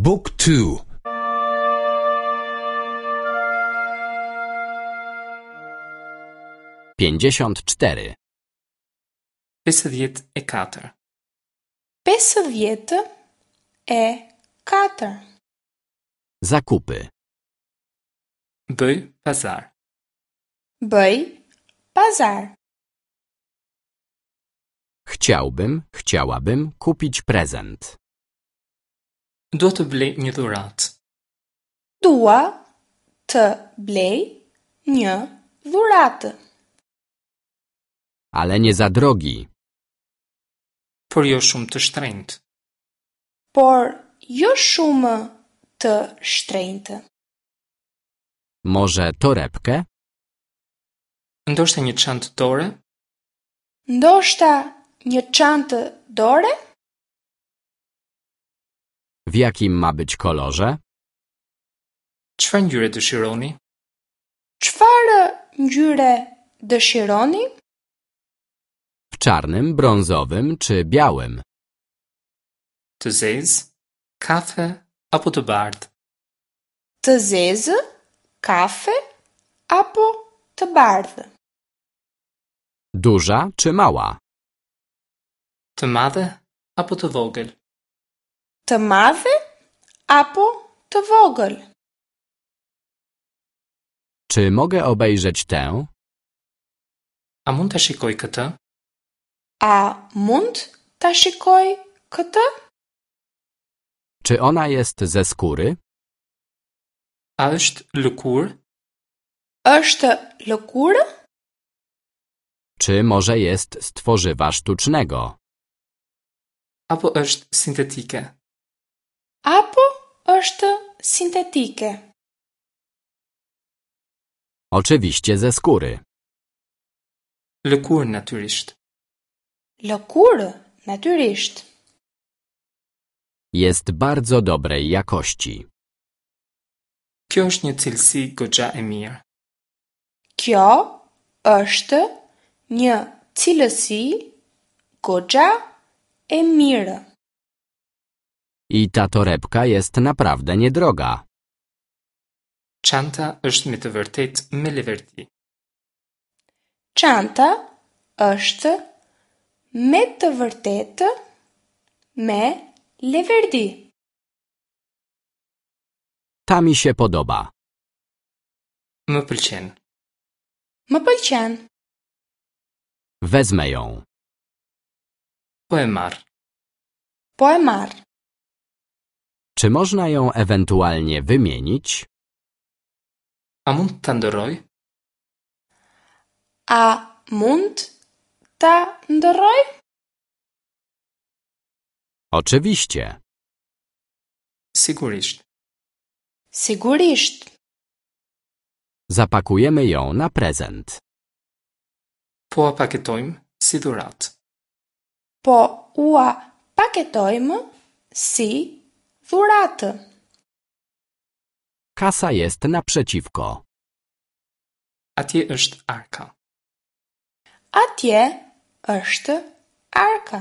บุ๊กทู 54. 54. 54. Zakupy. Bëj pazar. Bëj pazar. Chciałbym, chciałabym kupić prezent. Dua të blej një dhuratë. Dua të blej një dhuratë. Ale nie za drogi. Por jo shumë të shtrenjtë. Por jo shumë të shtrenjtë. Może torebkę? Ndoshta një çantë dore? Ndoshta një çantë dore? W jakim ma być kolorze? Çfarë ngjyre dëshironi? Çfarë ngjyre dëshironi? W czarnym, brązowym czy białym? Të zezë, kafe apo të bardhë? Të zezë, kafe apo të bardhë? Duża czy mała? Të madhe apo të vogël? Të madhe apo të vogël? Czy mogę obejrzeć tę? A mund ta shikoj këtë? A mund ta shikoj këtë? Czy ona jest ze skóry? A është lëkurë? Është lëkurë? Czy może jest z tworzywa sztucznego? Apo është sintetike? Apo është sintetike? Oczywiście ze skóry. Lëkurë natyrisht. Lëkurë, natyrisht. Jest bardzo dobrej jakości. Kjo është një cilësi goxha e mirë. Kjo është një cilësi goxha e mirë. I ta torebka jest naprawdę niedroga. Çanta është me të vërtetë me leverdi. Çanta është me të vërtetë me leverdi. Ta mi się podoba. Më pëlqen. Më pëlqen. Wezmę ją. Po e marr. Po e marr. Czy można ją ewentualnie wymienić? A mund ta ndërroj? A mund ta ndërroj? Oczywiście. Sigurisht. Sigurisht. Zapakujemy ją na prezent. Po a paketojmë si dhuratë. Po ua paketojmë si dhuratë. Kasa jest naprzeciwko. Atje është arka. Atje është arka.